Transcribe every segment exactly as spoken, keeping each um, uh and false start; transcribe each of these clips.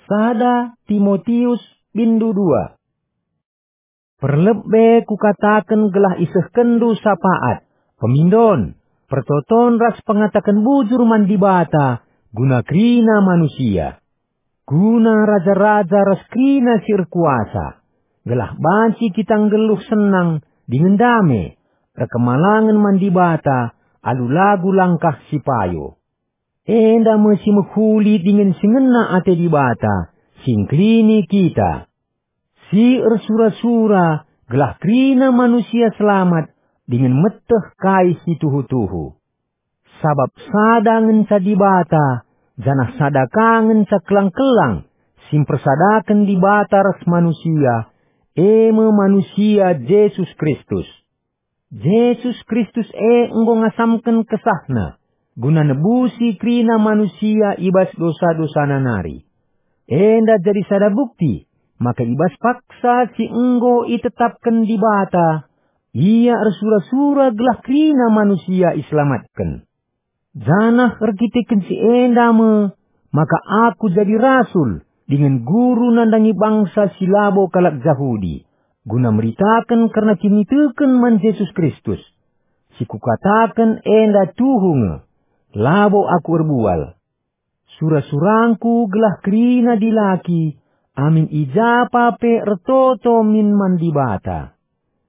Sada Timotius bindu dua. Perlebe kukataken gelah isehkenndu sapaat, pemindon, pertoton ras pengataken bujur man Dibata guna kerina manusia, guna raja-raja ras kerina si erkuasa, gelah banci kita nggeluh senang dingen dame, erkemalangen man Dibata alu lagu langkah si payo. Enda me si mehuli dingen si ngena ate Dibata, si engkelini kita, si ersura-sura gelah kerina manusia selamat dingen meteh kai si tuhu-tuhu. Sabap sada ngenca Dibata, janah sada ka ngenca kelang-kelang si mpersadaken Dibata ras manusia, e me manusia Jesus Kristus. Jesus Kristus e enggo ngasamken kesahNa guna nebusi kerina manusia i bas dosa-dosana nari. Enda jadi sada bukti maka i bas paksa si enggo itetapken Dibata, Ia ersura-sura gelah kerina manusia iselamatken. Janah erkiteken si enda me maka aku jadi rasul dingen guru nandangi bangsa si labo kalak Jahudi, guna meritaken kerna kiniteken man Jesus Kristus. Si kukataken enda tuhu nge, labo aku erbual. Sura-surangku gelah kerina dilaki, amin i ja pe ertoto min man Dibata.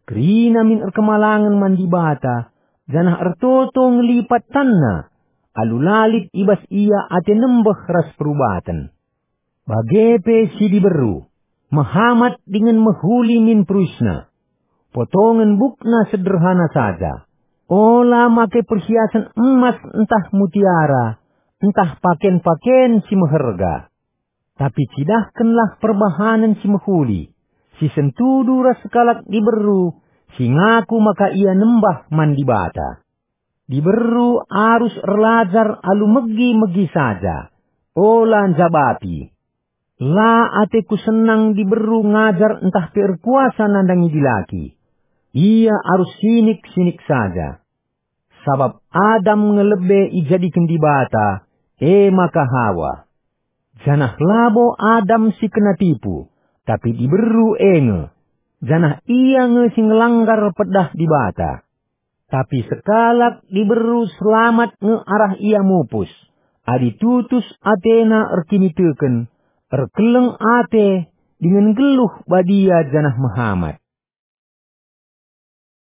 Kerina min erkemalangen man Dibata, janah ertoto ngelipat tanna, alu la lit i bas ia ate nembeh ras perubaten. Bage pe si diberu, mehamat dingen mehuli min peruisna. Potongen bukna sederhana saja. Ola make perhiasen emas ntah mutiara, ntah paken-paken si meherga. Tapi cidahkenlah perbahanen si mehuli, si sentudu ras sekalak diberu si ngaku maka ia nembah man Dibata. Diberu arus erlajar alu megi-megi saja, ola njabapi. La ateku senang diberu ngajar ntah pe erkuasa nandangi dilaki. Ia arus sinik-sinik saja. Sabap Adam nge lebe ijadiken Dibata, e maka Hawa. Janah labo Adam si kena tipu, tapi diberu e nge, janah ia nge si ngelanggar pedah Dibata. Tapi sekalak diberu selamat nge arah ia mupus, adi tutus atena erkiniteken, erkeleng ate, dingen nggeluh badia janah mehamat.